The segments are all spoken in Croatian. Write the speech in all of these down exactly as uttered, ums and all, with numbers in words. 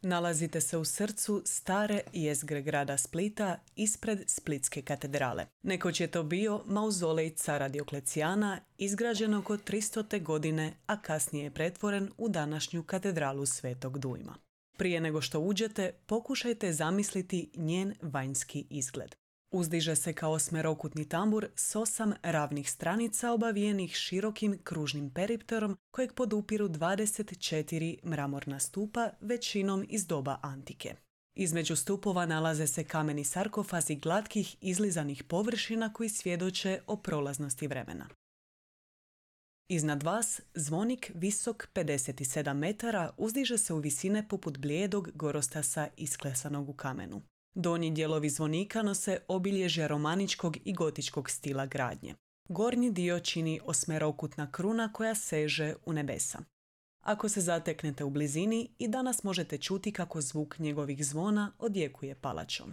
Nalazite se u srcu stare jezgre grada Splita ispred Splitske katedrale. Nekoć je to bio mauzolej cara Dioklecijana, izgrađen oko tristote godine, a kasnije je pretvoren u današnju katedralu Svetog Dujma. Prije nego što uđete, pokušajte zamisliti njen vanjski izgled. Uzdiže se kao osmerokutni tambur s osam ravnih stranica obavijenih širokim kružnim peripterom kojeg podupiru dvadeset četiri mramorna stupa, većinom iz doba antike. Između stupova nalaze se kameni sarkofazi glatkih izlizanih površina koji svjedoče o prolaznosti vremena. Iznad vas zvonik visok pedeset sedam metara uzdiže se u visine poput blijedog gorostasa isklesanog u kamenu. Donji dijelovi zvonika nose obilježja romaničkog i gotičkog stila gradnje. Gornji dio čini osmerokutna kruna koja seže u nebesa. Ako se zateknete u blizini, i danas možete čuti kako zvuk njegovih zvona odjekuje palačom.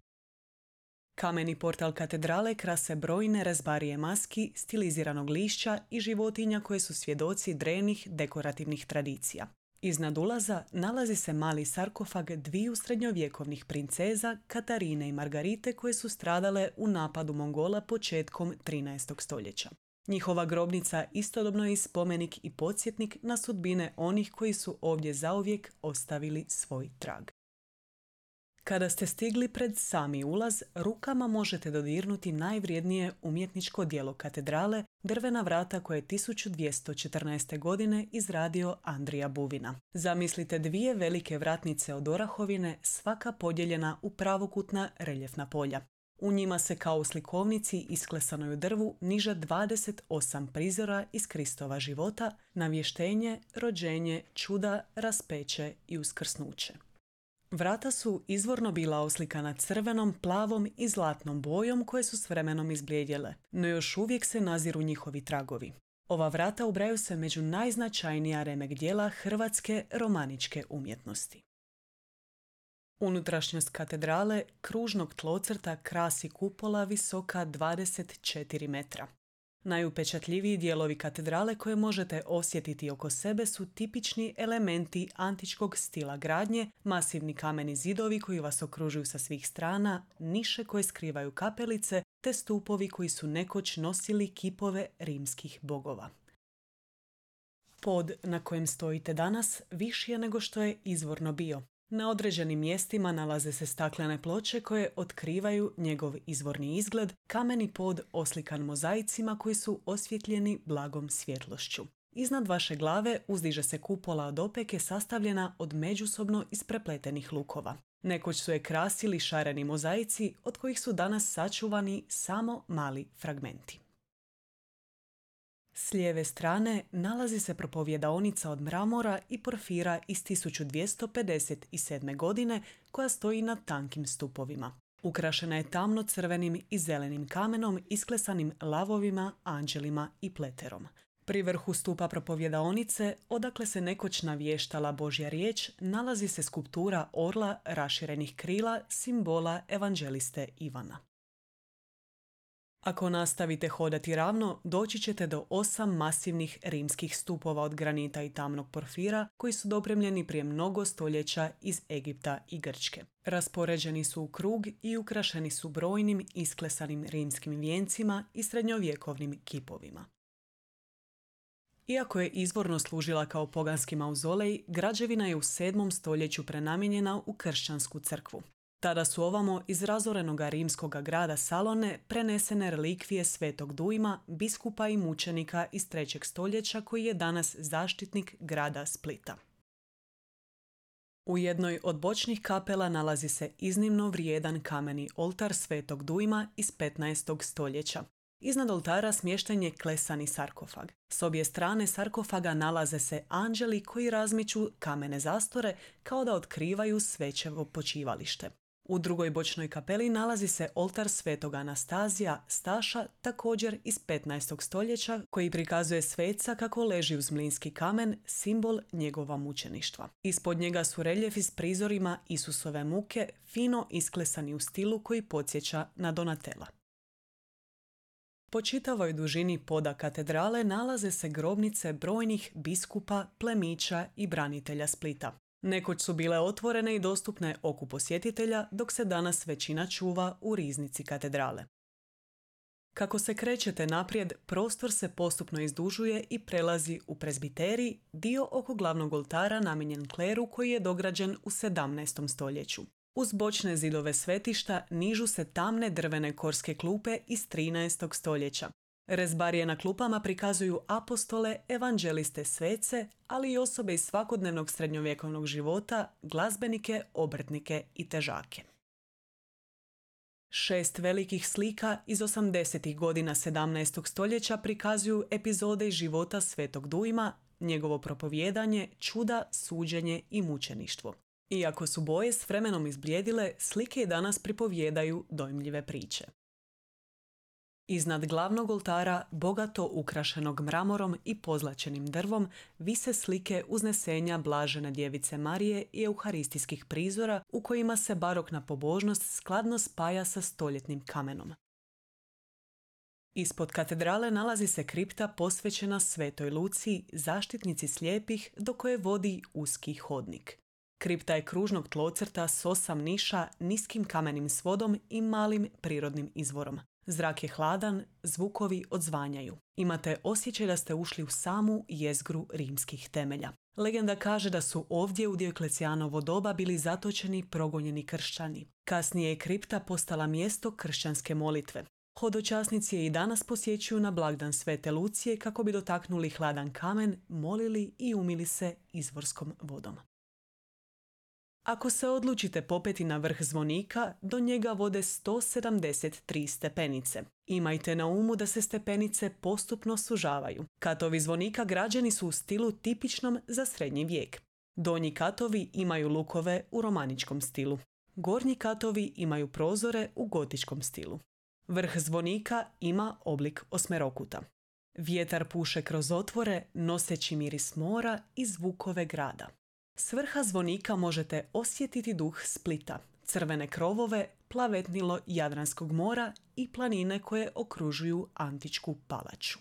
Kameni portal katedrale krase brojne rezbarije maski, stiliziranog lišća i životinja koje su svjedoci drevnih dekorativnih tradicija. Iznad ulaza nalazi se mali sarkofag dviju srednjovjekovnih princeza, Katarine i Margarite, koje su stradale u napadu Mongola početkom trinaestog stoljeća. Njihova grobnica istodobno je i spomenik i podsjetnik na sudbine onih koji su ovdje zauvijek ostavili svoj trag. Kada ste stigli pred sami ulaz, rukama možete dodirnuti najvrijednije umjetničko djelo katedrale, drvena vrata koje je tisuću dvjesto četrnaeste. godine izradio Andrija Buvina. Zamislite dvije velike vratnice od orahovine, svaka podijeljena u pravokutna reljefna polja. U njima se kao u slikovnici isklesanoj u drvu niže dvadeset osam prizora iz Kristova života, navještenje, rođenje, čuda, raspeće i uskrsnuće. Vrata su izvorno bila oslikana crvenom, plavom i zlatnom bojom koje su s vremenom izblijedjele, no još uvijek se naziru njihovi tragovi. Ova vrata ubrajaju se među najznačajnija remek djela hrvatske romaničke umjetnosti. Unutrašnjost katedrale kružnog tlocrta krasi kupola visoka dvadeset četiri metra. Najupečatljiviji dijelovi katedrale koje možete osjetiti oko sebe su tipični elementi antičkog stila gradnje, masivni kameni zidovi koji vas okružuju sa svih strana, niše koje skrivaju kapelice, te stupovi koji su nekoć nosili kipove rimskih bogova. Pod na kojem stojite danas viši je nego što je izvorno bio. Na određenim mjestima nalaze se staklene ploče koje otkrivaju njegov izvorni izgled, kameni pod oslikan mozaicima koji su osvjetljeni blagom svjetlošću. Iznad vaše glave uzdiže se kupola od opeke sastavljena od međusobno isprepletenih lukova. Nekoć su je krasili šareni mozaici od kojih su danas sačuvani samo mali fragmenti. S lijeve strane nalazi se propovjedaonica od mramora i porfira iz tisuću dvjesto pedeset sedme. godine koja stoji na tankim stupovima. Ukrašena je tamno crvenim i zelenim kamenom isklesanim lavovima, anđelima i pleterom. Pri vrhu stupa propovjedaonice, odakle se nekoć navještala Božja riječ, nalazi se skulptura orla raširenih krila, simbola evanđeliste Ivana. Ako nastavite hodati ravno, doći ćete do osam masivnih rimskih stupova od granita i tamnog porfira koji su dopremljeni prije mnogo stoljeća iz Egipta i Grčke. Raspoređeni su u krug i ukrašeni su brojnim isklesanim rimskim vijencima i srednjovjekovnim kipovima. Iako je izvorno služila kao poganski mauzolej, građevina je u sedmom stoljeću prenamijenjena u kršćansku crkvu. Tada su ovamo iz razorenoga rimskoga grada Salone prenesene relikvije Svetog Dujma, biskupa i mučenika iz trećeg stoljeća koji je danas zaštitnik grada Splita. U jednoj od bočnih kapela nalazi se iznimno vrijedan kameni oltar Svetog Dujma iz petnaestog stoljeća. Iznad oltara smješten je klesani sarkofag. S obje strane sarkofaga nalaze se anđeli koji razmiču kamene zastore kao da otkrivaju svećevo počivalište. U drugoj bočnoj kapeli nalazi se oltar svetog Anastazija Staša, također iz petnaestog stoljeća, koji prikazuje sveca kako leži uz mlinski kamen, simbol njegova mučeništva. Ispod njega su reljefi s prizorima Isusove muke, fino isklesani u stilu koji podsjeća na Donatela. Po čitavoj dužini poda katedrale nalaze se grobnice brojnih biskupa, plemića i branitelja Splita. Nekoć su bile otvorene i dostupne oku posjetitelja, dok se danas većina čuva u riznici katedrale. Kako se krećete naprijed, prostor se postupno izdužuje i prelazi u prezbiterij, dio oko glavnog oltara namijenjen kleru koji je dograđen u sedamnaestom stoljeću. Uz bočne zidove svetišta nižu se tamne drvene korske klupe iz trinaestog stoljeća. Rezbarije na klupama prikazuju apostole, evanđeliste, svece, ali i osobe iz svakodnevnog srednjovjekovnog života, glazbenike, obrtnike i težake. Šest velikih slika iz osamdesetih godina sedamnaestog stoljeća prikazuju epizode iz života Svetog Dujma, njegovo propovijedanje, čuda, suđenje i mučeništvo. Iako su boje s vremenom izblijedile, slike i danas pripovijedaju dojmljive priče. Iznad glavnog oltara, bogato ukrašenog mramorom i pozlačenim drvom, vise slike uznesenja Blažene djevice Marije i euharistijskih prizora u kojima se barokna pobožnost skladno spaja sa stoljetnim kamenom. Ispod katedrale nalazi se kripta posvećena Svetoj Luciji, zaštitnici slijepih, do koje vodi uski hodnik. Kripta je kružnog tlocrta s osam niša, niskim kamenim svodom i malim prirodnim izvorom. Zrak je hladan, zvukovi odzvanjaju. Imate osjećaj da ste ušli u samu jezgru rimskih temelja. Legenda kaže da su ovdje u Dioklecijanovo doba bili zatočeni progonjeni kršćani. Kasnije je kripta postala mjesto kršćanske molitve. Hodočasnici je i danas posjećuju na blagdan Svete Lucije kako bi dotaknuli hladan kamen, molili i umili se izvorskom vodom. Ako se odlučite popeti na vrh zvonika, do njega vode sto sedamdeset tri stepenice. Imajte na umu da se stepenice postupno sužavaju. Katovi zvonika građeni su u stilu tipičnom za srednji vijek. Donji katovi imaju lukove u romaničkom stilu. Gornji katovi imaju prozore u gotičkom stilu. Vrh zvonika ima oblik osmerokuta. Vjetar puše kroz otvore, noseći miris mora i zvukove grada. S vrha zvonika možete osjetiti duh Splita, crvene krovove, plavetnilo Jadranskog mora i planine koje okružuju antičku palaču.